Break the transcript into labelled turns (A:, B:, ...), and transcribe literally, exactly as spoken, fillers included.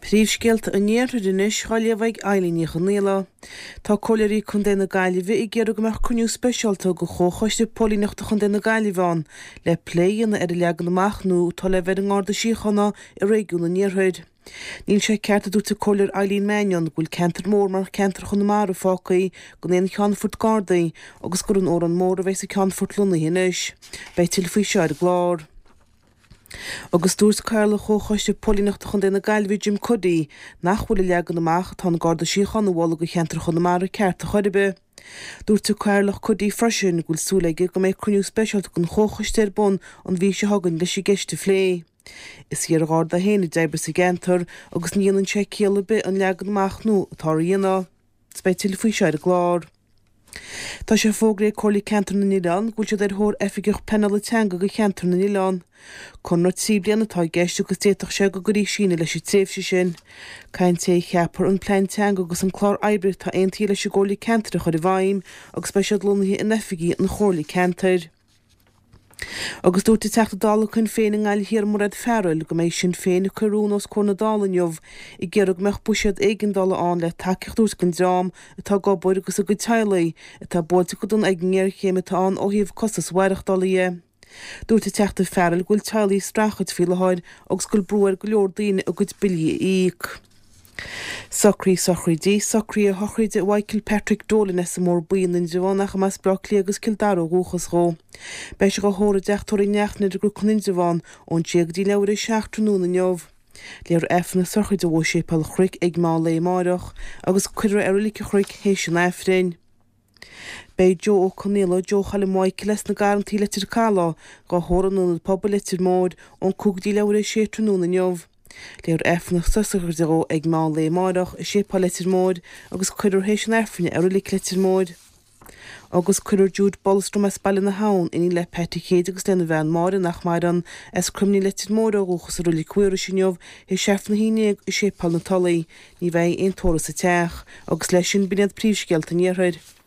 A: Príomhscéalta an Iarthair anois á léamh ag Eileen Ní Chonghaile. Tá Comhairleoirí Contae na Gaillimhe ag iarraidh go mbeadh cruinniú speisialta de Chomhchoiste Póilíneachta Chontae na Gaillimhe ann le plé a dhéanamh ar an leagan amach nua atá le bheith ar an nGarda Síochána i réigiún an Iarthair. Níl sé ceart, a dúirt an Comhairleoir Eileen Mannion, go bhfuil ceantar mór mar cheantar Chonamara fágtha gan aon cheannfort Gardaí agus gur in Órán Mór a bheas an ceannfort lonnaithe anois. Beidh tuilleadh faoi seo ar an gclár. Agus dúirt Cathaoirleach Chomhchoiste Póilíneachta Chontae na Gaillimhe Jim Cuddy nach bhfuil an leagan amach atá an Garda Síochána a mholadh do cheantar Chonamara ceart ar chor ar bith. Dúirt an Cathaoirleach Cuddy freisin go bhfuil súil aige go mbeidh cruinniú speisialta den chomhchoiste ar bun an mhí seo chugainn leis an gceist a phlé. Is iar-gharda é féin a d'oibrigh sa gceantar agus ní dhéanann sé ciall ar bith an leagan amach nua atá á dhéanamh. Beidh tuilleadh faoi seo ar an gclár. Tá sé fógraithe ag Comhairle Ceantar na nOileán go bhfuil siad ar thóir oifigeach pleanála teanga do cheantar na nOileán. Conradh trí bliana atá i gceist agus d'fhéadfadh sé go gcuirfí síneadh leis an tréimhse sin. Caithfidh an té a cheapfar an plean teanga agus an clár oibre atá aontaithe leis an gComhairle Ceantair a chur i bhfeidhm agus beidh siad lonnaithe in oifigí an Chomhairle Ceantair. Agus dúirt an Teachta Dála Shinn Féin i nGaillimh Thiar Mairéad Farrell go mbeidh Sinn Féin ag cur rún os comhair na Dála inniu ag iarraidh go mbeadh buiséad éigeandála ann le tacaíocht a thabhairt don dream atá ag obair agus a gcuid teaghlaigh atá buailte go dona ag an ngéarchéim atá ann ó thaobh costas mhaireachtála dhe. Dúirt an Teachta Farrell go bhfuil teaghlaigh ag streachailt faoi láthair agus go bhfuil brú ar go leor daoine a gcuid billí a íoc. Socruithe sochraide Socruithe sochraide Mhichael Patrick Dolan as an mBóthar Buí in Indreabhán ach as Baile Átha Cliath agus Cill Dara ó dhúchas dhó. Beidh sé á thórramh i dteach tórraimh Uí Neachtain ar an gCnoc in Indreabhán ón sé go dtí leathuair tar éis a seacht tráthnóna inniu. Léifear Aifreann na sochraide dhó i Séipéal an Chnoic ag meán lae amáireach agus cuirfear é i Reilig an Chnoic théis an Aifrinn. Beidh Joe Ó Conaola, Joe Choilm Mhichael as na Garrantaí Leitir Calaidh, dhá thórramh in Ionad Pobail Leitir Móir ón cúig go dtí leathuair tar éis a sé tráthnóna inniu. Léifear Aifreann na sochraide dhó ag meán lae amáireach i Séipéal Leitir Móir agus cuirfear théis an Aifrinn é i Reilig Leitir Móir. Agus cuirfear Jude Bolstrom as Baile na hAbhann, iníon le Pat Chéid agus lena bhean Máire nach maireann, as Croimlín Leitir Móir ó dhúchas i Reilig Mhaorais inniu théis Aifreann a haon déag i Séipéal na Tulaí. Ní bheidh aon tórramh sa teach. Agus leis sin b'in iad príomhscéalta an Iarthair.